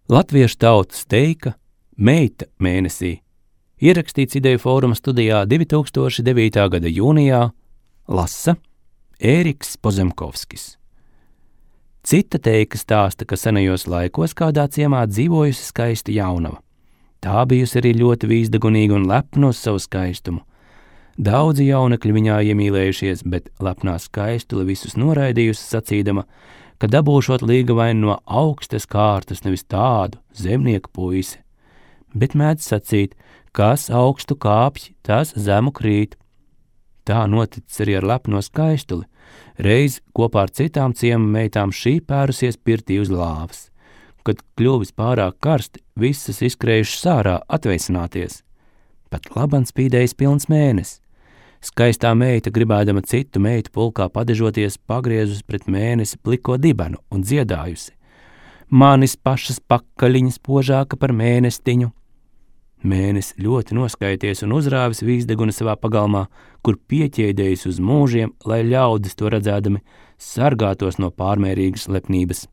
Latviešu tautas teika Meita mēnesī ierakstīts Ideju fóruma studijā 2009. gada jūnijā, lasa Ēriks Pozemkovskis. Cita teika stāsta, ka senajos laikos kādā ciemā dzīvojusi skaista jaunava. Tā bijusi arī ļoti vīzdagunīga un lepna uz savu skaistumu. Daudzi jaunekļi viņā iemīlējušies, bet lepnā skaistule visus noraidījusi, sacīdama, ka dabūšot līgavaini no augstas kārtas, nevis tādu zemnieku puisi. Bet mēdz sacīt, kas augstu kāpj, tas zemu krīt. Tā noticis arī ar lepno skaistuli. Reiz kopā ar citām ciema meitām šī pērusies pirtī uz lāvas. Kad kļuvis pārāk karsti, visas izskrējušas ārā atveicināties. Pat laban spīdējis pilns mēnesis. Skaistā meita, gribēdama citu meitu pulkā padežoties, pagriezus pret mēnesi pliko dibenu un dziedājusi: manis pašas pakaļiņas požāka par mēnestiņu. Mēnesis ļoti noskaities un uzrāvis vīzdeguni savā pagalmā, kur pieķēdējis uz mūžiem, lai ļaudis to redzēdami sargātos no pārmērīgas lepnības.